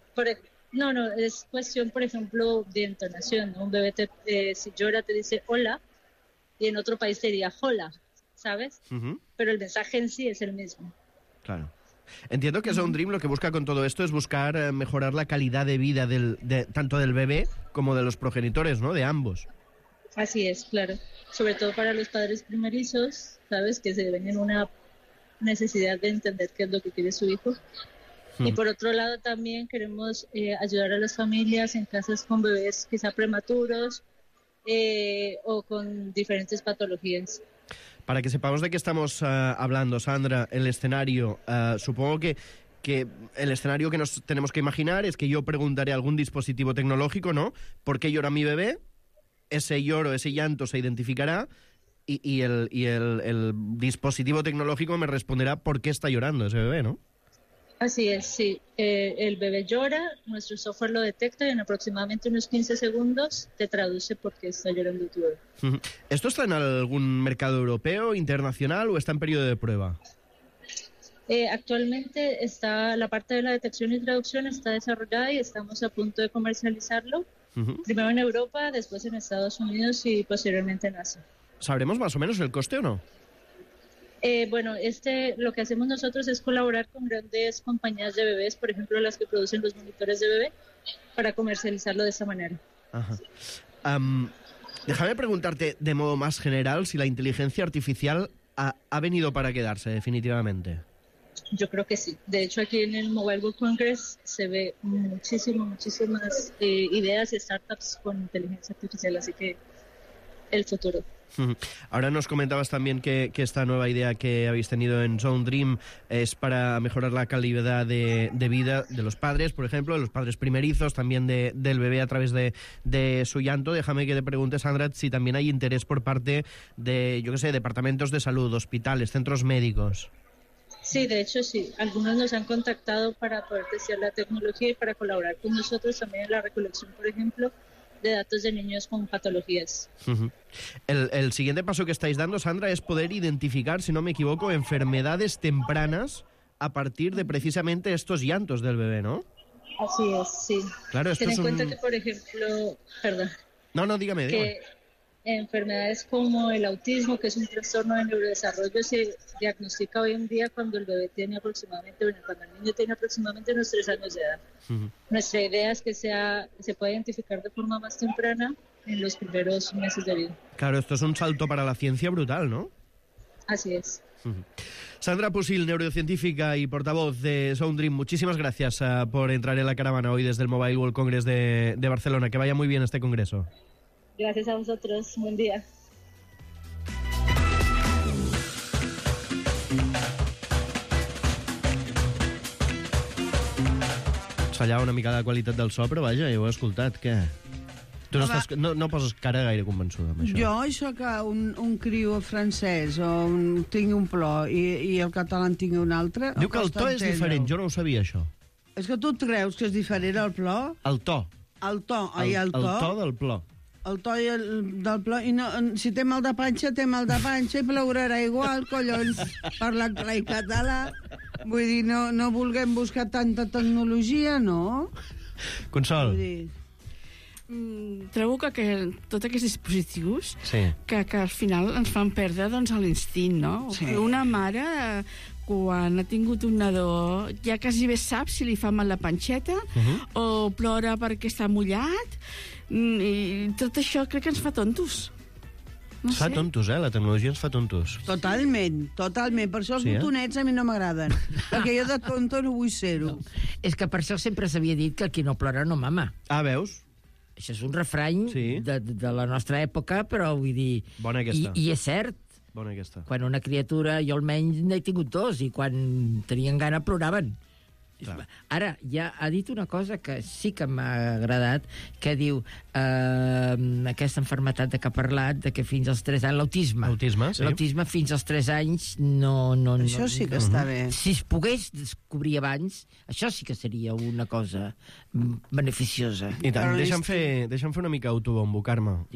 No, es cuestión, por ejemplo, de entonación, ¿no? Un bebé si llora te dice hola, y en otro país te diría hola, ¿sabes? Pero el mensaje en sí es el mismo. Claro. Entiendo que Zone Dream lo que busca con todo esto es buscar mejorar la calidad de vida tanto del bebé como de los progenitores, ¿no? De ambos. Así es, claro. Sobre todo para los padres primerizos, ¿sabes? Que se ven en una necesidad de entender qué es lo que quiere su hijo. Y por otro lado también queremos ayudar a las familias en casas con bebés quizá prematuros o con diferentes patologías. Para que sepamos de qué estamos hablando, Sandra, el escenario, supongo que el escenario que nos tenemos que imaginar es que yo preguntaré algún dispositivo tecnológico, ¿no? ¿Por qué llora mi bebé? Ese lloro, ese llanto se identificará y el dispositivo tecnológico me responderá por qué está llorando ese bebé, ¿no? Así es, sí. El bebé llora, nuestro software lo detecta y en aproximadamente unos 15 segundos te traduce por qué está llorando tu bebé. ¿Esto está en algún mercado europeo, internacional o está en periodo de prueba? Actualmente está la parte de la detección y traducción está desarrollada y estamos a punto de comercializarlo. Primero en Europa, después en Estados Unidos y posteriormente en Asia. ¿Sabremos más o menos el coste o no? Bueno, lo que hacemos nosotros es colaborar con grandes compañías de bebés, por ejemplo, las que producen los monitores de bebé, para comercializarlo de esa manera. Ajá. Déjame preguntarte de modo más general si la inteligencia artificial ha venido para quedarse definitivamente. Yo creo que sí. De hecho, aquí en el Mobile World Congress se ve muchísimas ideas y startups con inteligencia artificial, así que el futuro. Ahora nos comentabas también que esta nueva idea que habéis tenido en Zone Dream es para mejorar la calidad de vida de los padres, por ejemplo, de los padres primerizos, también del bebé a través de su llanto. Déjame que te pregunte, Sandra, si también hay interés por parte de, departamentos de salud, hospitales, centros médicos. Sí, de hecho sí. Algunos nos han contactado para poder testear la tecnología y para colaborar con nosotros también en la recolección, por ejemplo, de datos de niños con patologías. El siguiente paso que estáis dando, Sandra, es poder identificar, si no me equivoco, enfermedades tempranas a partir de precisamente estos llantos del bebé, ¿no? Así es, sí. Claro, esto Ten en cuenta que, por ejemplo, dígame. Que enfermedades como el autismo, que es un trastorno de neurodesarrollo, se diagnostica hoy en día cuando el bebé tiene cuando el niño tiene aproximadamente unos 3 años de edad. Nuestra idea es que se pueda identificar de forma más temprana en los primeros meses de vida. Claro, esto es un salto para la ciencia brutal, ¿no? Así es. Sandra Pusil, neurocientífica y portavoz de Zone Dream, muchísimas gracias por entrar en la caravana hoy desde el Mobile World Congress de Barcelona. Que vaya muy bien este congreso. Gracias a vosotros. Buen dia. Ens fallava una mica la qualitat del so, però vaja, ja ho he escoltat, què? Tu no poses cara gaire convençuda amb això. Això que un criu francès o tingui un plor i el català en tingui un altre... Diu que el to és diferent, jo no ho sabia, això. És que tu et creus que és diferent el plor? El to. El to del plor. El to del plor, i no, si té mal de panxa, té mal de panxa i plorarà igual, collons, parlant clar i català. Vull dir, no vulguem buscar tanta tecnologia, no? Consol. Trobo que tots aquests dispositius que al final ens fan perdre l'instint, no? Sí. Una mare, quan ha tingut un nadó, ja quasi bé sap si li fa mal la panxeta o plora perquè està mullat, i tot això crec que ens fa tontos. Ens fa tontos, la tecnologia ens fa tontos. Totalment. Per això els botonets a mi no m'agraden, perquè jo de tonto no vull ser-ho. És que per això sempre s'havia dit que el qui no plora no mama. Ah, veus? Això és un refrany de la nostra època, però vull dir... Bona aquesta. I és cert. Bona aquesta. Quan una criatura, jo almenys n'he tingut 2, i quan tenien gana ploraven. Clar. Ara, ja ha dit una cosa que sí que m'ha agradat, que diu aquesta malaltia de què ha parlat, de que fins als 3 anys, l'autisme. L'autisme, sí. L'autisme fins als 3 anys no... Això sí que està bé. Si es pogués descobrir abans, això sí que seria una cosa beneficiosa. I tant, deixa'm fer una mica autobombo, Carme.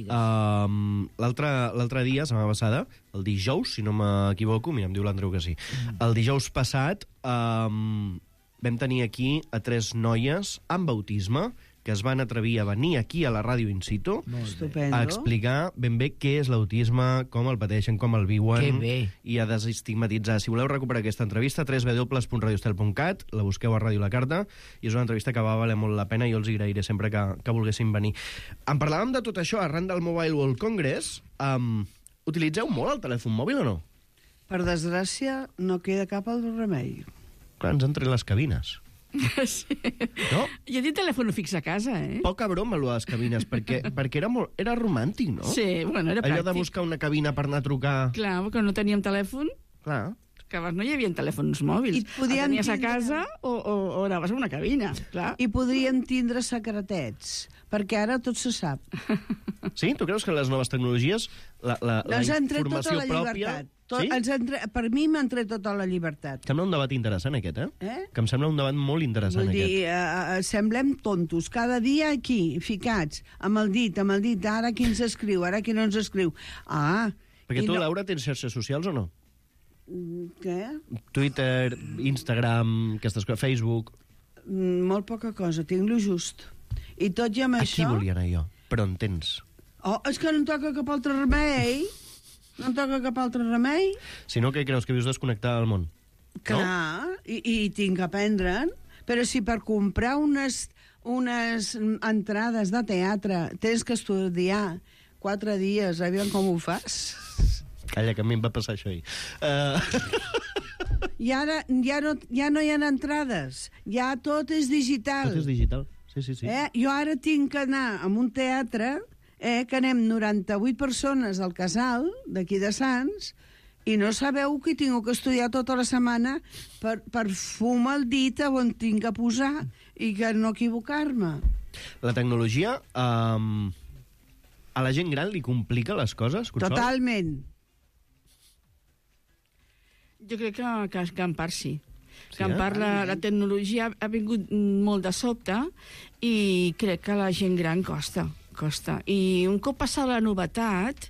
L'altre dia, setmana passada, el dijous, si no m'equivoco, mira, em diu l'Andreu que sí, el dijous passat vam tenir aquí a 3 noies amb autisme que es van atrevir a venir aquí a la ràdio in situ a explicar ben bé què és l'autisme, com el pateixen, com el viuen i a desestigmatitzar. Si voleu recuperar aquesta entrevista, www.radiostel.cat, la busqueu a Ràdio La Carta, i és una entrevista que va valer molt la pena i jo els agrairé sempre que volguessin venir. En parlàvem de tot això arran del Mobile World Congress. Utilitzeu molt el telèfon mòbil o no? Per desgràcia, no queda cap al remei. Clar, ens han tret les cabines. Sí. No? Jo tinc telèfon fix a casa, Poca broma, allò de les cabines, perquè era romàntic, no? Sí, bueno, era pràctic. Allò de buscar una cabina per anar a trucar... Clar, perquè no teníem telèfon. Clar. Que abans no hi havia telèfons mòbils. El tenies a casa o anaves a una cabina, clar. I podrien tindre secretets, perquè ara tot se sap. Sí? Tu creus que les noves tecnologies, la informació pròpia... Sí? Per mi m'han tret tota la llibertat. Sembla un debat interessant, aquest, Que em sembla un debat molt interessant, Vull dir, semblem tontos. Cada dia aquí, ficats, amb el dit, ara qui ens escriu, ara qui no ens escriu. Perquè tu, Laura, tens xarxes socials o no? Què? Twitter, Instagram, aquestes coses, Facebook... Molt poca cosa, tinc lo just. I tot i amb això... Aquí volia anar jo, però en tens. És que no em toca cap altre remei. No em toca cap altre remei. Si no, què creus, que vius desconnectada del món? Clar, i tinc que aprendre'n. Però si per comprar unes entrades de teatre tens que estudiar 4 dies, aviam com ho fas. Calla, que a mi em va passar això ahir. I ara ja no hi ha entrades. Ja tot és digital. Tot és digital, sí. Jo ara tinc que anar a un teatre... que anem 98 persones al casal d'aquí de Sants i no sabeu que tinc que estudiar tota la setmana per fumar el dit on tinc que posar i que no equivocar-me. La tecnologia a la gent gran li complica les coses, Consol? Totalment. Jo crec que en part sí. Que en part la tecnologia ha vingut molt de sobte i crec que a la gent gran costa. I un cop passada la novetat,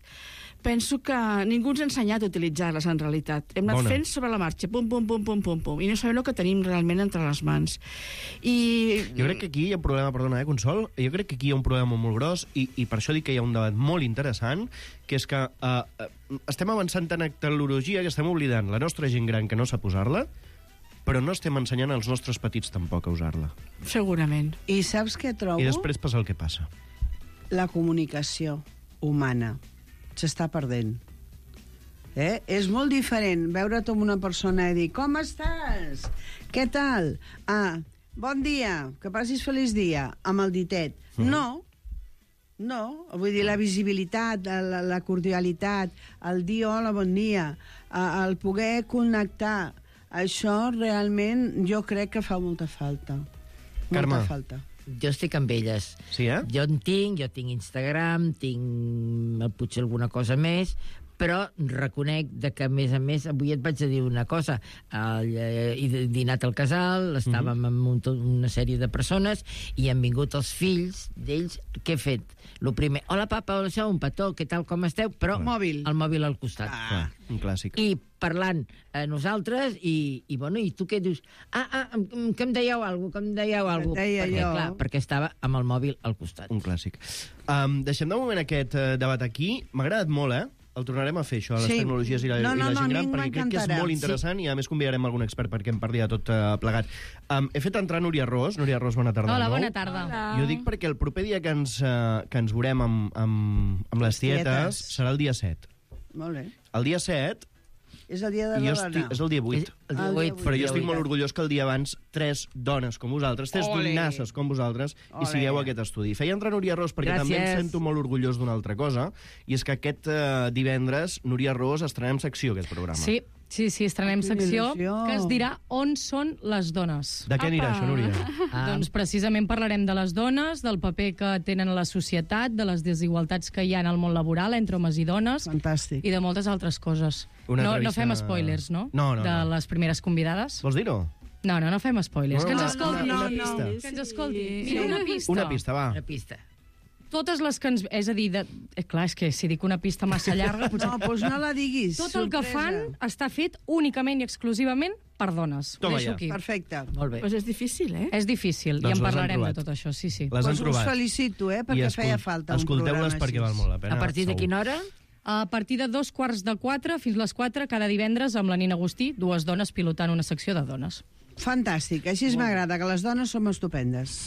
penso que ningú ens ha ensenyat a utilitzar-les en realitat. Hem anat fent sobre la marxa, pum, i no sabem el que tenim realment entre les mans. Jo crec que aquí hi ha un problema, perdona, Consol, jo crec que aquí hi ha un problema molt gros i per això dic que hi ha un debat molt interessant, que és que estem avançant tant en tecnologia que estem oblidant la nostra gent gran que no sap usar-la, però no estem ensenyant als nostres petits tampoc a usar-la. Segurament. I saps què trobo? I després passa el que passa. La comunicació humana s'està perdent. És molt diferent veure't amb una persona i dir com estàs? Què tal? Bon dia, que passis feliç dia, amb el ditet. No, vull dir, la visibilitat, la cordialitat, el dir hola, bon dia, el poder connectar, això realment jo crec que fa molta falta. Carme. Molta falta. Jo estic amb elles. Sí, Jo tinc Instagram, tinc potser alguna cosa més, però reconec que, a més, avui et vaig a dir una cosa. He dinat al casal, estàvem amb una sèrie de persones i han vingut els fills d'ells. Què he fet? Lo primer, hola papa, hola això, un petó, què tal, com esteu? Però el mòbil al costat. Un clàssic. I parlant a nosaltres i tu què dius? Que em dèieu alguna cosa, perquè estava amb el mòbil al costat. Un clàssic. Deixem de moment aquest debat aquí. M'ha agradat molt, El tornarem a fer, això, les tecnologies i la gent gran, perquè crec que és molt interessant i a més convidarem algun expert perquè em parli de tot plegat. He fet entrar Núria Ros. Núria Ros, bona tarda. Hola, bona tarda. Jo dic perquè el proper dia que ens veurem amb les tietes serà el dia 7. Molt bé. El dia 7 És el dia de la dona. És el dia 8. El dia 8. Però jo estic molt orgullós que el dia abans 3 dones com vosaltres, 3 donasses com vosaltres, i sigueu a aquest estudi. Feia entrar Núria Ros perquè també em sento molt orgullós d'una altra cosa, i és que aquest divendres, Núria Ros, estrenem secció, aquest programa. Sí, estrenem secció que es dirà On són les dones. De què anirà això, Núria? Doncs precisament parlarem de les dones, del paper que tenen a la societat, de les desigualtats que hi ha en el món laboral entre homes i dones. Fantàstic. I de moltes altres coses. No fem spoilers, no? No. De les primeres convidades. Vols dir-ho? No fem spoilers. Que ens escoltin. Que ens escoltin. Mira, una pista. Una pista, va. Una pista. Totes les que ens... És a dir, clar, és que si dic una pista massa llarga... Potser... No, doncs no la diguis. Tot el que fan està fet únicament i exclusivament per dones. Toma Deixo aquí. Perfecte. Molt bé. Pues és difícil, eh? És difícil, Doncs i en les han parlarem de trobat. tot això, sí. Les han trobat. Us felicito, perquè feia falta un programa Escolteu-les perquè val molt la pena. A partir de quina hora? A partir de 3:45 fins les 4, cada divendres, amb la Nina Agustí, 2 dones pilotant una secció de dones. Fantàstic, així m'agrada, que les dones som estupendes.